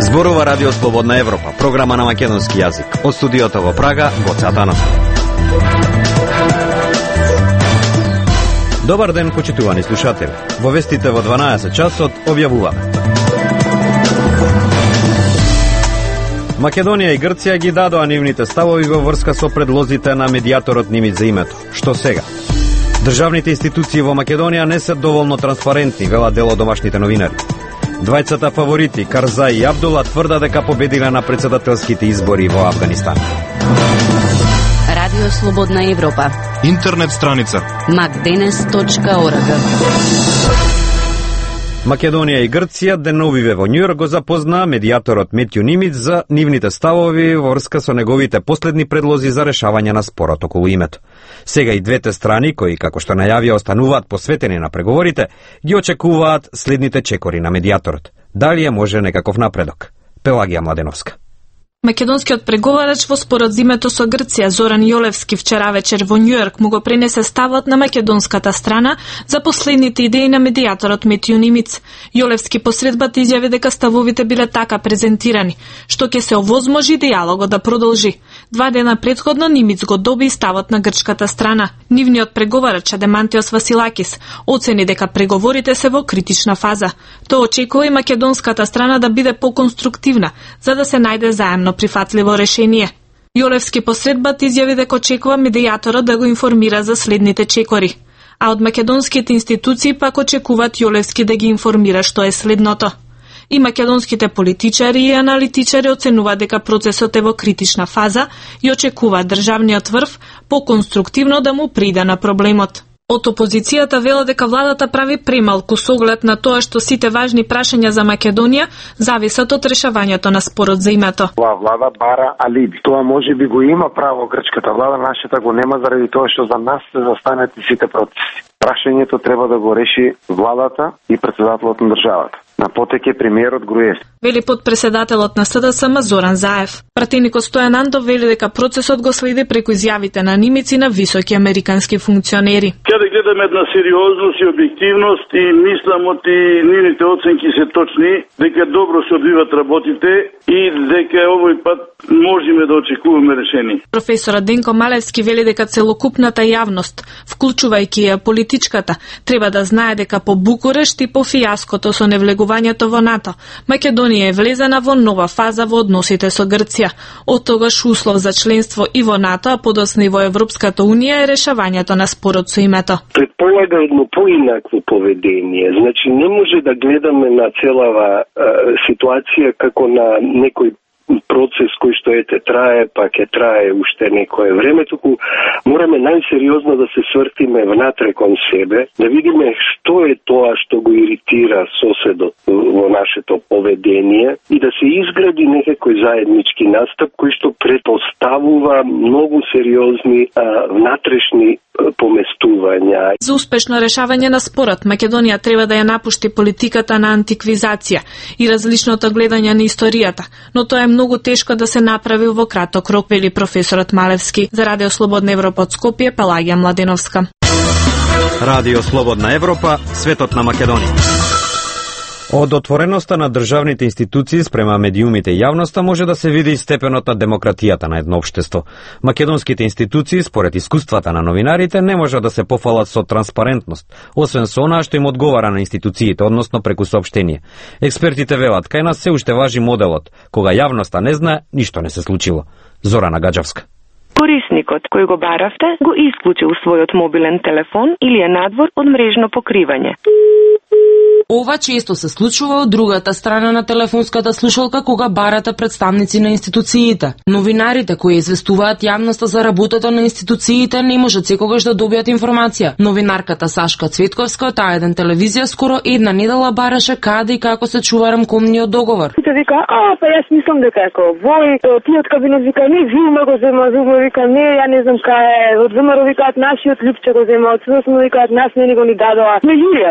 Зборува Радио Слободна Европа, програма на македонски јазик. Од студиото во Прага, Гоце Атанасов. Добар ден, почитувани слушатели. Во вестите во 12 часот објавуваме. Македонија и Грција ги дадоа нивните ставови во врска со предлозите на медијаторот Нимиц за името. Што сега? Државните институции во Македонија не се доволно транспарентни, велат дел од домашните новинари. Двајцата фаворити, Карзај и Абдула, тврда дека победиле на председателските избори во Авганистан. Радио Слободна Европа. Интернет страница macdenes.org. Македонија и Грција деновиве во Њујорк го запознаа медијаторот Метју Нимиц за нивните ставови во врска со неговите последни предлози за решавање на спорот околу името. Сега и двете страни, кои, како што најавија, остануваат посветени на преговорите, ги очекуваат следните чекори на медијаторот. Дали е може некаков напредок? Пелагија Младеновска. Македонскиот преговарач во спорот за името со Грција Зоран Јолевски вчера вечер во Њујорк му го пренесе ставот на македонската страна за последните идеи на медијаторот Метју Нимиц. Јолевски посредбата изјави дека ставовите биле така презентирани, што ќе се овозможи дијалогот да продолжи. 2 дена претходно Нимиц го доби ставот на грчката страна. Нивниот преговарач Адемантиос Василакис оцени дека преговорите се во критична фаза. Тој очекува и македонската страна да биде поконструктивна, за да се најде заемно прифатливо решение. Јолевски посредбата изјави дека очекува медијаторот да го информира за следните чекори, а од македонските институции пак очекуваат Јолевски да ги информира што е следното. И македонските политичари и аналитичари оценуваат дека процесот е во критична фаза и очекуваат државниот врв поконструктивно да му прида на проблемот. Од опозицијата вела дека владата прави премалку со оглед на тоа што сите важни прашања за Македонија зависат од решавањето на спорот за името. Оваа влада бара алиби. Тоа може би го има право грчката влада, нашата го нема заради тоа што за нас се застанат и сите процеси. Прашањето треба да го реши владата и председателот на државата. На потек е премиерот Груевски. Вели подпредседателот на СДСМ Зоран Заев. Пратеникот Стојан Андов вели дека процесот го следи преку изјавите на Нимиц и на високи американски функционери. Каде гледаме една сериозност и објективност и мислам оти нивните оценки се точни, дека добро се одвиват работите и дека овој пат можеме да очекуваме решение. Професорот Денко Малевски вели дека целокупната јавност, вклучувајќи ја политичката, треба да знае дека по Букурешт и по фијаското со невлегувањето во НАТО, Македонија е влезена во нова фаза во односите со Грција. Од тогаш услов за членство и во НАТО, а подоцна и во Европската Унија е решавањето на спорот со името. Предполага едно поинакво поведение. Значи не може да гледаме на целава ситуација како на некој процес кој што трае, па ќе трае уште некое време, туку мораме најсериозно да се свртиме внатре кон себе, да видиме што е тоа што го иритира соседот во нашето поведение и да се изгради некој заеднички настап кој што претпоставува многу сериозни внатрешни поместувања. За успешно решавање на спорот, Македонија треба да ја напушти политиката на антиквизација и различното гледање на историјата, но тоа е многу тешко да се направи во краток рок, вели професорот Малевски. За Радио Слободна Европа од Скопје, Пелагија Младеновска. Радио Слободна Европа, светот на Македонија. Од отвореноста на државните институции спрема медиумите и јавноста може да се види степенот на демократијата на едно општество. Македонските институции, според искуствата на новинарите, не може да се пофалат со транспарентност, освен со онаа што им одговара на институциите, односно преку соопштение. Експертите велат, кај нас се уште важи моделот, кога јавноста не знае, ништо не се случило. Зорана Гаджавска. Корисникот кој го баравте го исклучил својот мобилен телефон или е надвор од мрежно покривање. Ова често се случува од другата страна на телефонската слушалка кога барате представници на институциите. Новинарите кои известуваат јавноста за работата на институциите не можат секогаш да добијат информација. Новинарката Сашка Цветковска од А1 телевизија скоро една недела бараше каде и како се чува рамкомниот договор. Ти вика, па јас мислам дека е овој, ти од кабинет вика, не, Зума го зема, Зума вика, не, ја не знам кај е, од ВМРО викаат нашиот Липче го зема, од СДСМ викаат нас не го ни дадоа.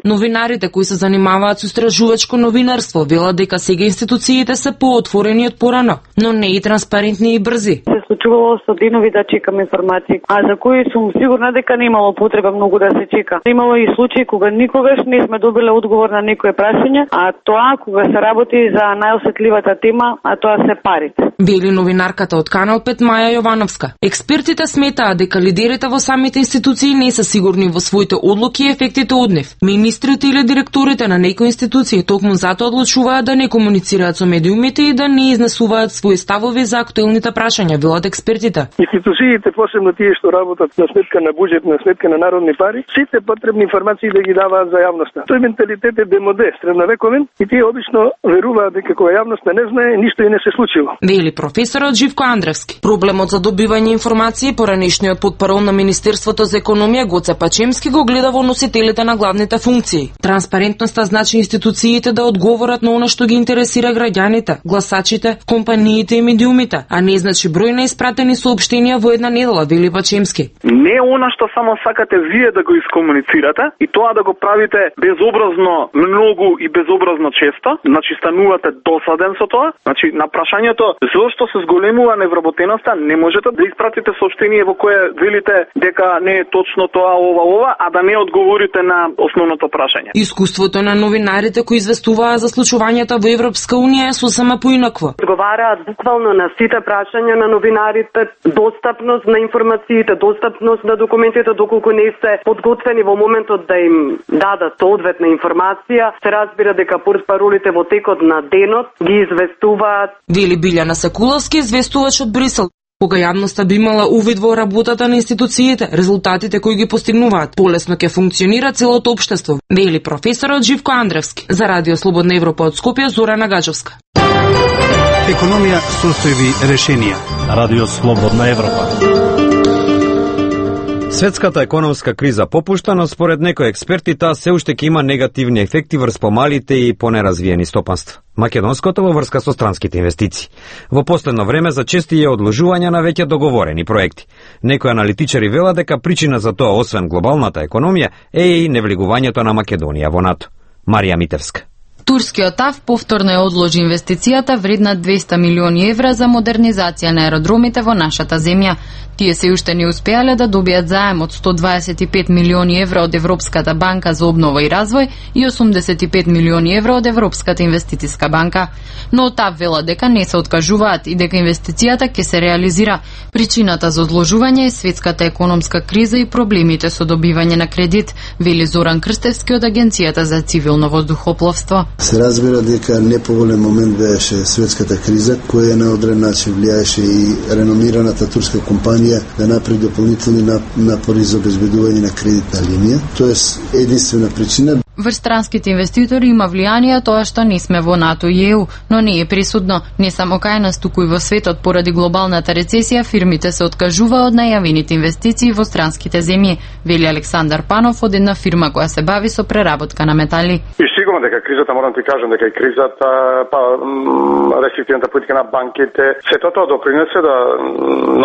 Новинарите кои се занимаваат занимаваат со истражувачко новинарство велат дека сега институциите се поотворени од порано, но не и транспарентни и брзи. Се случувало со денови да чекам информации, а за кои сум сигурна дека немало потреба многу да се чека. Имало и случаи кога никогаш не сме добиле одговор на некое прашање, а тоа кога се работи за најосетливата тема, а тоа се парите. Вели новинарката од Канал 5 Маја Јовановска. Експертите сметаат дека лидерите во самите институции не се сигурни во своите одлуки и ефектите од нив. Министрите или директорите на некои институции токму затоа одлучуваат да не комуницираат со медиумите и да не изнесуваат своји ставови за актуелните прашања, велат експертите. Институциите, посебно тие што работат на сметка на буџет, на сметка на народни пари, сите потребни информации да ги даваат за јавноста. Тој менталитет е демоде, средновековен, и тие обично веруваат дека кога јавноста не знае, ништо и не се случило. Вели професорот Живко Андревски. Проблемот за добивање информации поранешниот потпарол на Министерството за економија Гоце Пачемски го гледа во носителите на главните функции. Транспарентноста значи институциите да одговорат на она што ги интересира граѓаните, гласачите, компаниите и медиумите, а не значи број на испратени соопштенија во една недела, вели Пачемски. Не она што само сакате вие да го искомуницирате и тоа да го правите безобразно многу и безобразно често, значи станувате досаден со тоа. Значи на прашањето зошто се зголемува невработеноста, не можете да испратите соопштение во кое велите дека не е точно тоа ова, а да не одговорите на основното прашање. Искуството на новинарите кои известуваат за случувањата во Европска унија е сосема поинакво. Одговараат буквално на сите прашања на новинарите, достапност на информациите, достапност на документите доколку не се подготвени во моментот да им дадат соодветна информација. Се разбира дека портпаролите во текот на денот ги известуваат. Вели Билјана Сакуловски, известувач од Брисел. Кога јавноста би имала увид во работата на институциите, резултатите кои ги постигнуваат, полесно ќе функционира целото општество, вели професорот Живко Андревски. За Радио Слободна Европа од Скопје, Зорана Гаджовска. Економија, состојби, решенија. Радио Слободна Европа. Светската економска криза попушта, но според некои експерти таа се уште ќе има негативни ефекти врз помалите и понеразвиени стопанства. Македонското во врска со странските инвестиции. Во последно време зачести е одложување на веќе договорени проекти. Некои аналитичари велат дека причина за тоа, освен глобалната економија, е и невлегувањето на Македонија во НАТО. Марија Митевска. Турскиот ТАВ повторно ја одложи инвестицијата вредна 200 милиони евра за модернизација на аеродромите во нашата земја. Тие се уште не успеале да добијат заем од 125 милиони евра од Европската банка за обнова и развој и 85 милиони евра од Европската инвестициска банка. Но ТАВ вела дека не се откажуваат и дека инвестицијата ќе се реализира. Причината за одложување е светската економска криза и проблемите со добивање на кредит, вели Зоран Крстевски од Агенцијата за цивилно воздухопловство. Се разбира дека неповолен момент беше светската криза, која на одрен начин влијаеше и реномираната турска компанија да направи дополнителни напори за обезбедување на кредитна линија. Тоа е единствена причина. Врз странските инвеститори има влијание тоа што не сме во НАТО и ЕУ, но не е присутно. Не само кај нас, туку и во светот поради глобалната рецесија, фирмите се откажува од најавените инвестиции во странските земји, вели Александар Панов од една фирма која се бави со преработка на метали. И сигурно дека кризата, морам ти кажам дека и кризата, рестриктивната политика на банките, сето тоа допринесе да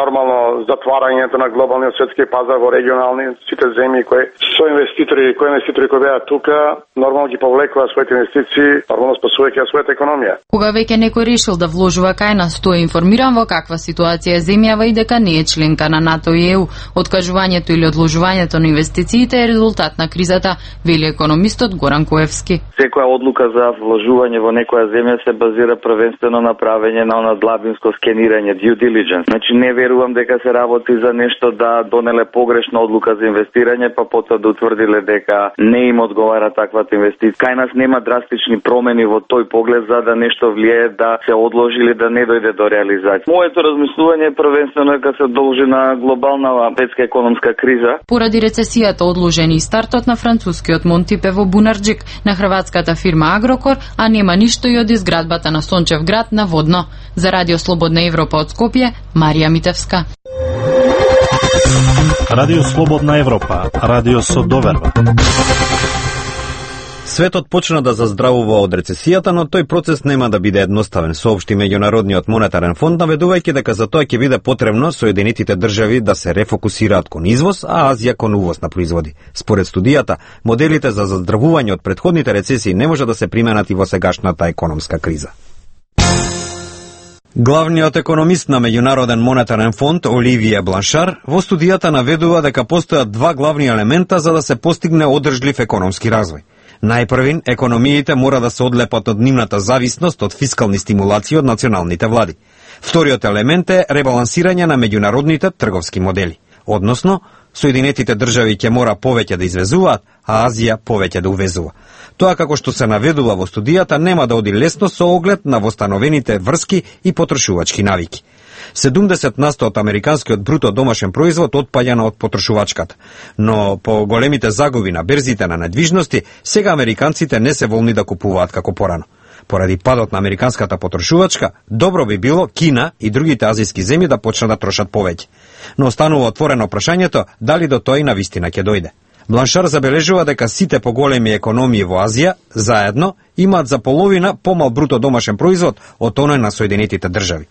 нормално затварањето на глобалниот светски пазар во регионални сите земји кои инвеститори кои беа тука, нормално ги повлекува своите инвестиции, нормално спасувајќи својата економија. Кога веќе некој решил да вложува кај нас, тој е информиран во каква ситуација е земјава и дека не е членка на НАТО и ЕУ. Откажувањето или одложувањето на инвестициите е резултат на кризата, вели економистот Горан Коевски. Секоја одлука за вложување во некоја земја се базира првенствено на правење на она длабинско скенирање, due diligence. Значи не верувам дека се работи за нешто да донеле погрешна одлука за инвестирање, па потоа да утврдиле дека не им одговара таквата инвестиција. Кај нас нема драстични промени во тој поглед за да нешто влијае да се одложи или да не дојде до реализација. Моето размислување е првенствено дека се должи на глобална светска економска криза. Поради рецесијата одложени и стартот на францускиот Монтипе во Бунарџик, на хрватската фирма Агрокор, а нема ништо и од изградбата на Сончев град на Водно. За Радио Слободна Европа од Скопје, Марија Митевска. Радио Слободна Европа, радио со доверба. Светот почна да заздравува од рецесијата, но тој процес нема да биде едноставен, соопшти Меѓународниот монетарен фонд, наведувајќи дека за тоа ќе биде потребно Соединетите држави да се рефокусираат кон извоз, а Азија кон увоз на производи. Според студијата, моделите за заздравување од претходните рецесии не може да се применат и во сегашната економска криза. Главниот економист на Меѓународен монетарен фонд Оливие Бланшар во студијата наведува дека постојат два главни елемента за да се постигне одржлив економски развој. Најпрвин, економиите мора да се одлепат од нивната зависност од фискални стимулации од националните влади. Вториот елемент е ребалансирање на меѓународните трговски модели. Односно, Соединетите држави ќе мора повеќе да извезуваат, а Азија повеќе да увезува. Тоа, како што се наведува во студијата, нема да оди лесно со оглед на востановените врски и потрошувачки навики. 70% од американскиот бруто домашен производ отпаѓа од потрошувачката, но по големите загуби на берзите на недвижности, сега американците не се волни да купуваат како порано. Поради падот на американската потрошувачка, добро би било Кина и другите азијски земји да почнат да трошат повеќе. Но останува отворено прашањето дали до тоа и навистина ќе дојде. Бланшар забележува дека сите поголеми економии во Азија заедно имаат за половина помал бруто домашен производ од оној на Соединетите држави.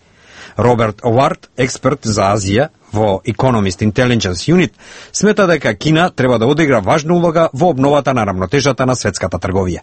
Роберт Овард, експерт за Азија во Economist Intelligence Unit, смета дека Кина треба да одигра важна улога во обновата на рамнотежата на светската трговија.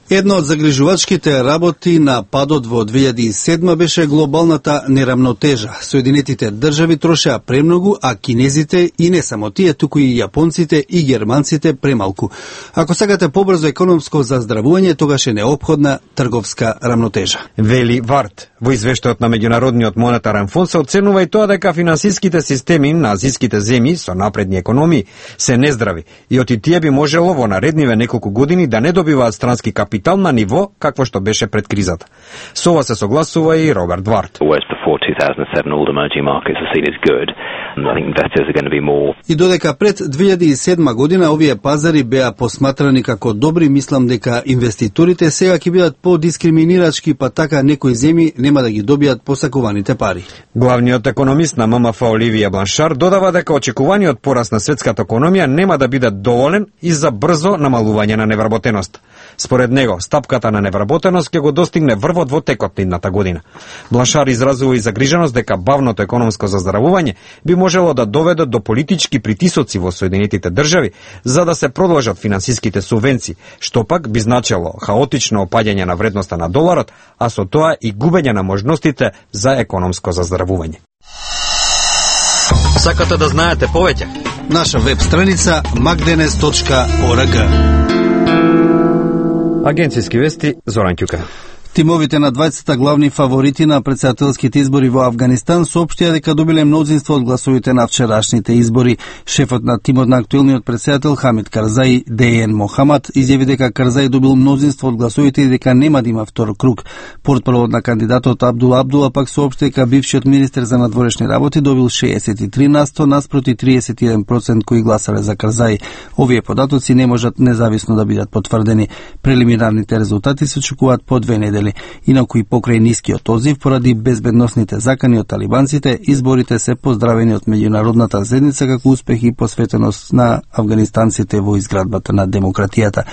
Едно од загрижувачките работи на падот во 2007 беше глобалната нерамнотежа. Соединетите држави трошеа премногу, а кинезите и не само тие, туку и јапонците и германците премалку. Ако сакате побрзо економско заздравување, тогаш е неопходна трговска рамнотежа. Вели Варт. Во извештајот на Меѓународниот монетарен фонд се оценува и тоа дека финансиските системи на азијските земји со напредни економии се нездрави и оти тие би можело во наредниве неколку години да не добиваат странски капитал на ниво какво што беше пред кризата. Со ова се согласува и Роберт Варт. И додека пред 2007 година овие пазари беа посматрани како добри, мислам дека инвеститорите сега ќе бидат по-дискриминирачки, па така некои земји нема да ги добијат посакуваните пари. Главниот економист на ММФ Оливија Бланшар додава дека очекуваниот пораст на светската економија нема да биде доволен и за брзо намалување на невработеност. Според него, стапката на невработеност ќе го достигне врвот во текот на идната година. Бланшар изразува и загриженост дека бавното економско заздравување би можело да доведе до политички притисоци во Соединетите држави за да се продолжат финансиските субвенции, што пак би значело хаотично опаѓање на вредноста на доларот, а со тоа и губење на можностите за економско заздравување. Сакате да знаете повеќе? Наша веб страница magdenes.org. Агенцијски вести, Зоран Ќука. Тимовите на двајцата главни фаворити на претседателските избори во Авганистан соопштија дека добиле мнозинство од гласовите на вчерашните избори. Шефот на тимот на актуелниот претседател Хамид Карзаи, Дејен Мохамад, изјави дека Карзаи добил мнозинство од гласовите и дека нема да има втор круг. Портпаролот на кандидатот Абдула пак соопшти дека бившиот министер за надворешни работи добил 63% наспроти 31% кои гласале за Карзаи. Овие податоци не можат независно да бидат потврдени. Прелиминарните резултати се очекуваат по 2 недели. Инаку и покрај нискиот одзив поради безбедносните закани од талибанците, изборите се поздравени од меѓународната заедница како успех и посветеност на афганистанците во изградбата на демократијата.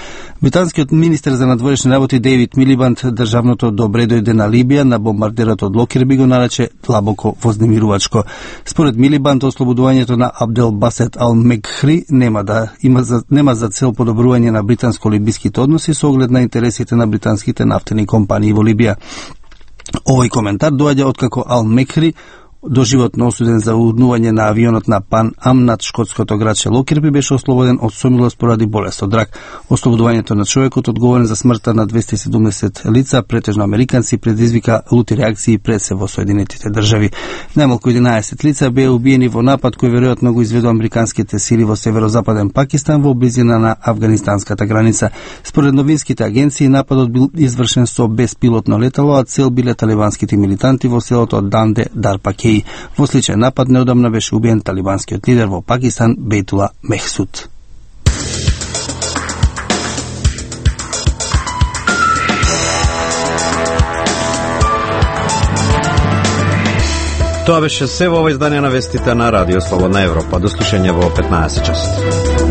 Британскиот министер за надворешни работи Дейвид Милибанд државното добре дојде на Либија на бомбардерот од Локерби го нарече длабоко вознемирувачко. Според Милибанд, ослободувањето на Абдел Басет Ал Мегхри нема за цел подобрување на британско-либиските односи со оглед на интересите на британските нафтени компании во Либија. Овој коментар доаѓа откако Ал Мекхри доживотно осуден за урнување на авионот на Пан Ам над шкотското градче Локерби беше ослободен од сомилост поради болест од рак. Ослободувањето на човекот одговорен за смртта на 270 лица, претежно американци, предизвика лути реакции пред се во Соединетите држави. Најмалку 11 лица беа убиени во напад кој веројатно го изведу американските сили во северозападен Пакистан во близина на афганистанската граница. Според новинските агенции, нападот бил извршен со беспилотно летало, а цел биле талибанските милитанти во селото Данде Дарпакеј. Во сличен напад неодамна беше убиен талибанскиот лидер во Пакистан Бейтула Мехсуд. Тоа беше се во ова издание на вестите на Радио Слободна Европа. До слушање во 15 часот.